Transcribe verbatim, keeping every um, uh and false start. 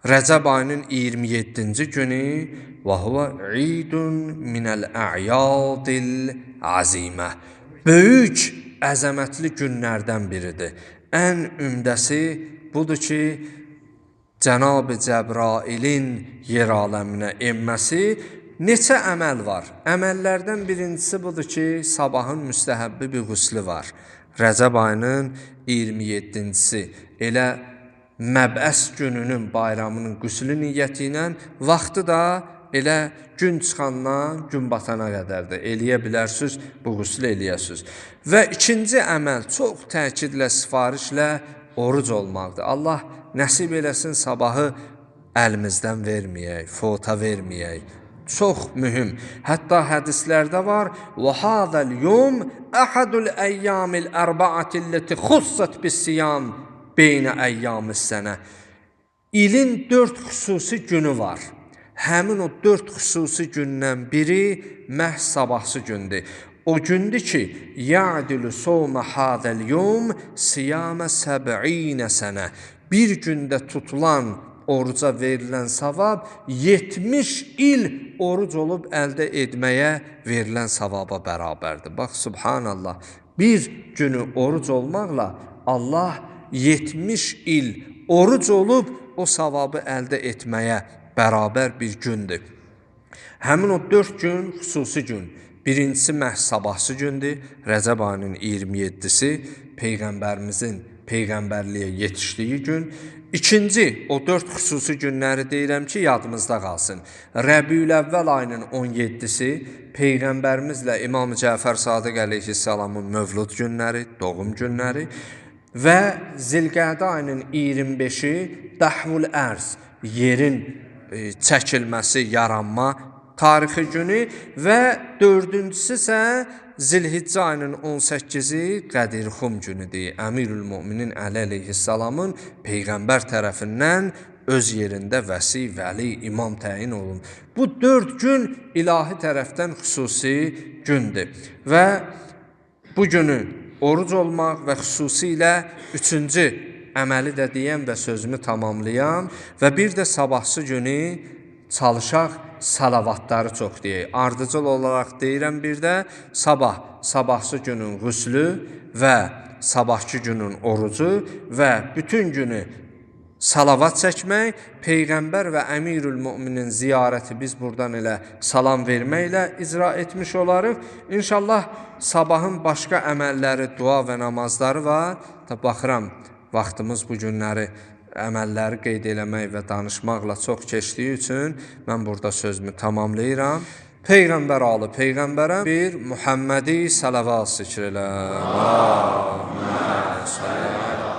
Rəcəb ayının iyirmi yeddinci günü və huve idun minəl a'yadil azimə. Böyük, əzəmətli günlərdən biridir. Ən ümdəsi budur ki, Cənab-ı Cəbrailin yer aləminə enməsi. Neçə əməl var? Əməllərdən birincisi budur ki, sabahın müstəhəbbi bir qüslü var. Rəcəb ayının iyirmi yeddincisi elə Məbəs gününün bayramının qüslü niyyəti ilə, vaxtı da elə gün çıxandan gün batana qədərdir. Eləyə bilərsiniz, bu qüslü eləyəsiniz. Və ikinci əməl çox təkidlə, sifarişlə oruc olmaqdır. Allah nəsib eləsin sabahı əlimizdən verməyək, fota verməyək. Çox mühüm. Hətta hədislərdə var: "Və hazal yum ahadul eyyamil arba'atillati khussat bis-siyam beynə əyyam-ı sənə." İlin dörd xüsusi günü var. Həmin o dörd xüsusi gündən biri məhz sabahsı gündür. O gündür ki, ya'dilu sawma hadal yum siyama səb'inə sənə. Bir gündə tutulan oruca verilən savab yetmiş il oruc olub əldə etməyə verilən savaba bərabərdir. Bax, subhanallah. Bir günü oruc olmaqla Allah yetmiş il oruc olub o savabı əldə etməyə bərabər bir gündür. Həmin o dörd gün xüsusi gün. Birincisi məhz sabahsı gündür. Rəcəb ayının iyirmi yeddisi Peyğəmbərimizin Peyğəmbərliyə yetişdiyi gün. İkinci, o dörd xüsusi günləri deyirəm ki, yadımızda qalsın. Rəbiül-əvvəl ayının on yeddisi Peyğəmbərimizlə İmam Cəfər Sadiq əleyhissalamın mövlud günləri, doğum günləri və Zilqədə ayının iyirmi beşi Dəhvul Ərz, yerin e, çəkilməsi, yaranma tarixi günü və dördüncüsü isə Zilhiccə ayının on səkkizi Qədirxum günüdür. Əmirül-Möminin Əli əleyhissalamın Peyğəmbər tərəfindən öz yerində vəsi, vəli, imam təyin olun. Bu dörd gün ilahi tərəfdən xüsusi gündür və bu günü oruc olmaq və xüsusilə üçüncü əməli də deyəm və sözümü tamamlayam və bir də sabahsı günü çalışaq salavatları çox deyək. Ardıcıl olaraq deyirəm bir də sabah, sabahsı günün qüslü və sabahki günün orucu və bütün günü salavat çəkmək, Peyğəmbər və Əmirül-Möminin ziyarəti biz buradan elə salam verməklə icra etmiş olarıq. İnşallah sabahın başqa əməlləri, dua və namazları var. Da baxıram, vaxtımız bu günləri əməlləri qeyd eləmək və danışmaqla çox keçdiyi üçün mən burada sözümü tamamlayıram. Peyğəmbər alı Peyğəmbərə bir Muhammədi salavat zikr elə. Allahümə salli